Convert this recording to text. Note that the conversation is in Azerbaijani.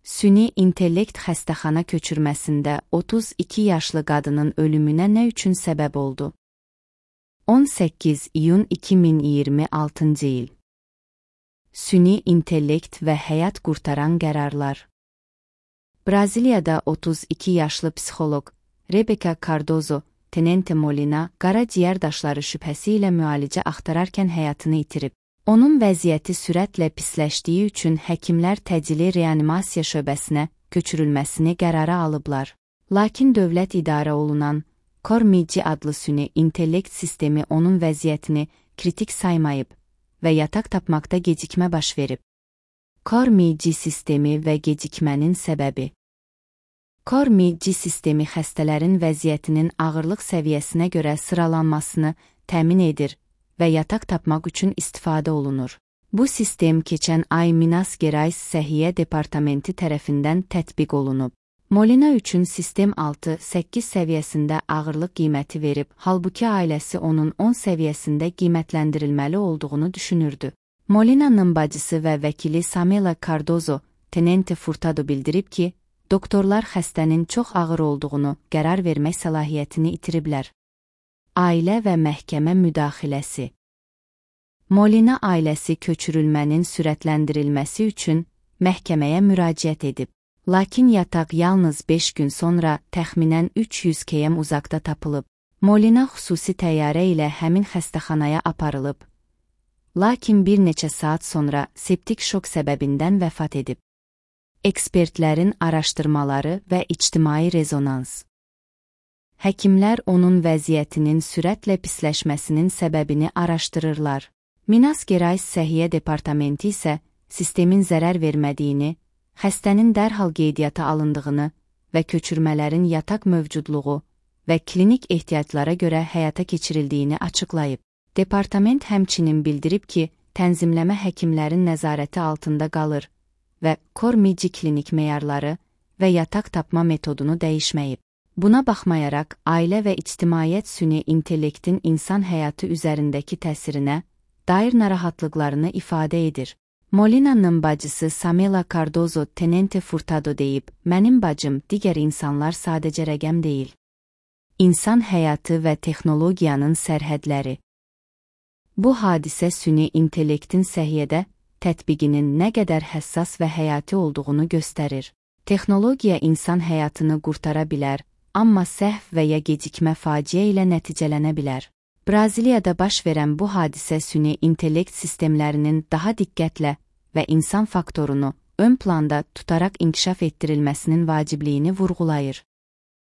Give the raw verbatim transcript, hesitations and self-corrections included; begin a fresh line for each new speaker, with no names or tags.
Süni intellekt xəstəxana köçürməsində otuz iki yaşlı qadının ölümünə nə üçün səbəb oldu? on səkkiz iyun iki min iyirmi altıncı il. Süni intellekt və həyat qurtaran qərarlar. Braziliyada otuz iki yaşlı psixoloq Rebecca Cardozo Tenente Molina qaraciyər daşları şübhəsi ilə müalicə axtararkən həyatını itirib. Onun vəziyyəti sürətlə pisləşdiyi üçün həkimlər təcili reanimasiya şöbəsinə köçürülməsini qərara alıblar. Lakin dövlət idarə olunan Cormigi adlı süni intellekt sistemi onun vəziyyətini kritik saymayıb və yataq tapmaqda gecikmə baş verib. Cormigi sistemi və gecikmənin səbəbi. Cormigi sistemi xəstələrin vəziyyətinin ağırlıq səviyyəsinə görə sıralanmasını təmin edir və yataq tapmaq üçün istifadə olunur. Bu sistem keçən ay Minas Gerais Səhiyyə Departamenti tərəfindən tətbiq olunub. Molina üçün sistem altı səkkiz səviyyəsində ağırlıq qiyməti verib, halbuki ailəsi onun on səviyyəsində qiymətləndirilməli olduğunu düşünürdü. Molina'nın bacısı və vəkili Samela Cardozo Tenente Furtado bildirib ki, doktorlar xəstənin çox ağır olduğunu qərar vermək səlahiyyətini itiriblər. Ailə və məhkəmə müdaxiləsi. Molina ailəsi köçürülmənin sürətləndirilməsi üçün məhkəməyə müraciət edib. Lakin yataq yalnız beş gün sonra təxminən üç yüz kilometr uzaqda tapılıb. Molina xüsusi təyyarə ilə həmin xəstəxanaya aparılıb. Lakin bir neçə saat sonra septik şok səbəbindən vəfat edib. Ekspertlərin araşdırmaları və ictimai rezonans. Həkimlər onun vəziyyətinin sürətlə pisləşməsinin səbəbini araşdırırlar. Minas Gerais Səhiyyə Departamenti isə sistemin zərər vermədiyini, xəstənin dərhal qeydiyyata alındığını və köçürmələrin yataq mövcudluğu və klinik ehtiyaclara görə həyata keçirildiyini açıqlayıb. Departament həmçinin bildirib ki, tənzimləmə həkimlərin nəzarəti altında qalır və Cormigi klinik meyarları və yataq tapma metodunu dəyişməyib. Buna baxmayaraq, ailə və ictimaiyyət süni intellektin insan həyatı üzərindəki təsirinə dair narahatlıqlarını ifadə edir. Molina'nın bacısı Samela Cardozo Tenente Furtado deyib, mənim bacım digər insanlar sadəcə rəqəm deyil. İnsan həyatı və texnologiyanın sərhədləri. Bu hadisə süni intellektin səhiyyədə tətbiqinin nə qədər həssas və həyati olduğunu göstərir. Texnologiya insan həyatını qurtara bilər, amma səhv və ya gecikmə faciə ilə nəticələnə bilər. Braziliyada baş verən bu hadisə süni intellekt sistemlərinin daha diqqətlə və insan faktorunu ön planda tutaraq inkişaf etdirilməsinin vacibliyini vurğulayır.